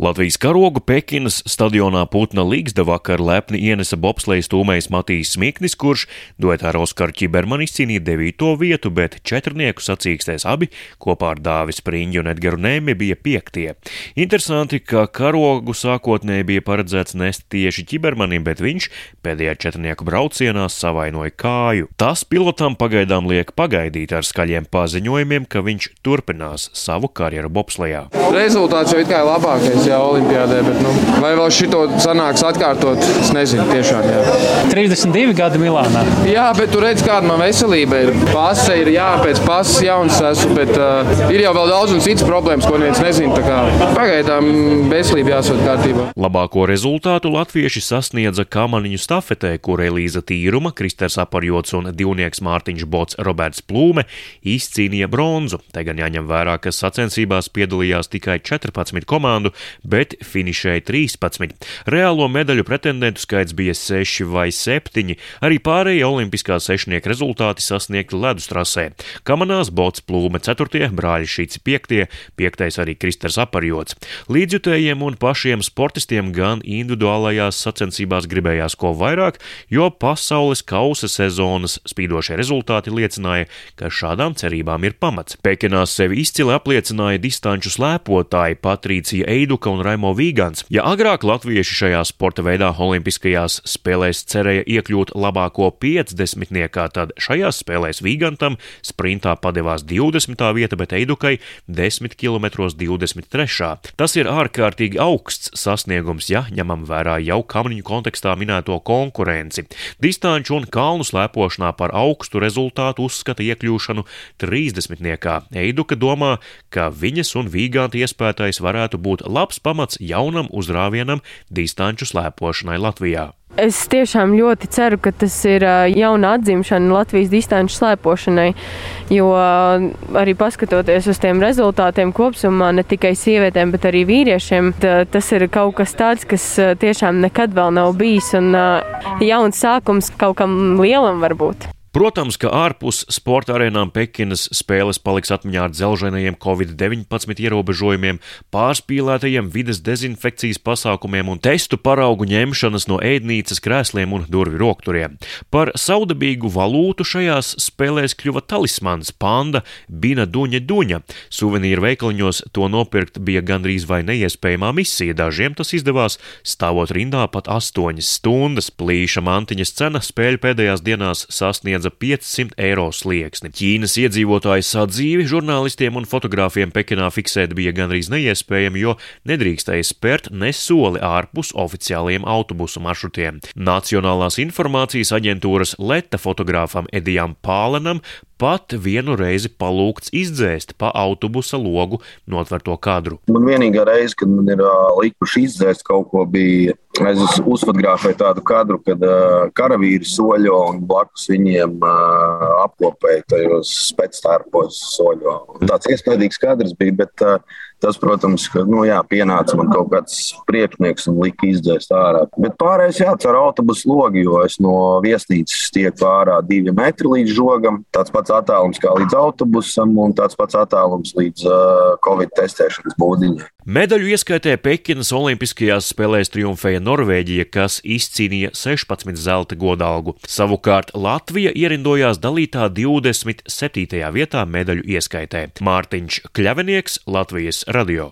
Latvijas karogu Pekinas stadionā Putna Ligzda vakar lepni ienesa bobsleja stūmējs Matīs Smiknis, kurš duetā ar Oskaru Čibermanu izcīnīja 9. vietu, bet četrnieku sacīkstēs abi kopā ar Dāvi Spriņģi un Edgaru Nemi bija 5. Interesanti, ka karogu sākotnēji bija paredzēts nest tieši Čibermanim, bet viņš pēdējā četrnieku braucienā savainoja kāju. Tas pilotam pagaidām liek pagaidīt ar skaļiem paziņojumiem, ka viņš turpinās savu karjeru bobslejā. Rezultāts jau it kā ir labākais. Jā, olimpiādē, bet vai vēl šito sanāks atkārtot, es nezinu tiešām, jā. 32 gadi Milānā. Jā, bet tu redz, kāda man veselība ir. Pase ir, jā, pēc pases jauns esmu, bet ir jau vēl daudz un citas problēmas, ko neviens nezina, tā kā pagaidām veselība jāsot kārtībā. Labāko rezultātu latvieši sasniedza kamaniņu stafetē, kur Elīza Tīruma, Kristers Aparjots un divnieks Mārtiņš Bots Roberts Plūme izcīnīja bronzu. Te gan jāņem vērā, ka sacensībās piedalījās tikai 14 komandu, bet finišēja 13. Reālo medaļu pretendentu skaits bija 6 vai 7, arī pārējie olimpiskā sešnieka rezultāti sasniegti ledus trasē. Kamanās Bots Plūme 4., brāļi Šīci 5., 5. arī Kristers Aparjots. Līdzjutējiem un pašiem sportistiem gan individuālajās sacensībās gribējās ko vairāk, jo pasaules kausa sezonas spīdošie rezultāti liecināja, ka šādām cerībām ir pamats. Pekinā sevi izcili apliecināja distanču slēpotāji Patricija Eiduka un Raimo Vīgants. Ja agrāk latvieši šajā sporta veidā olimpiskajās spēlēs cerēja iekļūt labāko 50-niekā, tad šajās spēlēs Vīgantam sprintā padevās 20. vieta, bet Eidukai 10 km 23. Tas ir ārkārtīgi augsts sasniegums, ja ņemam vērā jau kamaniņu kontekstā minēto konkurenci. Distanču un kalnu slēpošanā par augstu rezultātu uzskata iekļūšanu 30-niekā. Eiduka domā, ka viņas un Vīganta iespētais varētu būt labs pamats jaunam uzrāvienam distanču slēpošanai Latvijā. Es tiešām ļoti ceru, ka tas ir jauna atzimšana Latvijas distanču slēpošanai, jo arī paskatoties uz tiem rezultātiem kopsumā, ne tikai sievietēm, bet arī vīriešiem, tas ir kaut kas tāds, kas tiešām nekad vēl nav bijis un jauns sākums kaut kam lielam varbūt. Protams, ka ārpus sporta arēnām Pekinas spēles paliks atmiņā ar dzelženajiem Covid-19 ierobežojumiem, pārspīlētajiem vides dezinfekcijas pasākumiem un testu paraugu ņemšanas no ēdnīcas krēsliem un durvju rokturiem. Par saudabīgu valūtu šajās spēlēs kļuva talismans panda Bina Duņa. Suvenīru veikaliņos to nopirkt bija gandrīz vai neiespējamā misija. Dažiem tas izdevās stāvot rindā pat 8 stundas. Plīša mantiņas cena spēļu pēdējās dienās sasniedza 500 eiro slieksni. Ķīnas iedzīvotāju sadzīvi žurnālistiem un fotogrāfiem Pekinā fiksēt bija gandrīz neiespējami, jo nedrīkstēja spērt ne soli ārpus oficiālajiem autobusu maršrutiem. Nacionālās informācijas aģentūras Leta fotogrāfam Edijam Pālenam pat vienu reizi palūgts izdzēst pa autobusa logu notverto kadru. Man vienīgā reize, kad man ir likuši izdzēst kaut ko, bija es uzfotografēju tādu kadru, kad karavīri soļo un blakus viņiem apkopēja tajos spectārpos soļo. Tāds iespaidīgs kadrs bija, bet tas, protams, ka, pienāca man kaut kāds priekšnieks un lika izdzēst ārā. Bet pārējais jācer autobusu logi, jo es no viesnīcas tieku ārā 2 metri līdz žogam. Tāds pats attālums kā līdz autobusam un tāds pats attālums līdz Covid testēšanas būdiņai. Medaļu ieskaitē Pekinas olimpiskajās spēlēs triumfēja Norvēģija, kas izcīnīja 16 zelta godalgu. Savukārt Latvija ierindojās dalītā 27. vietā medaļu ieskaitē. Mārtiņš Kļavinieks, Latvijas radio.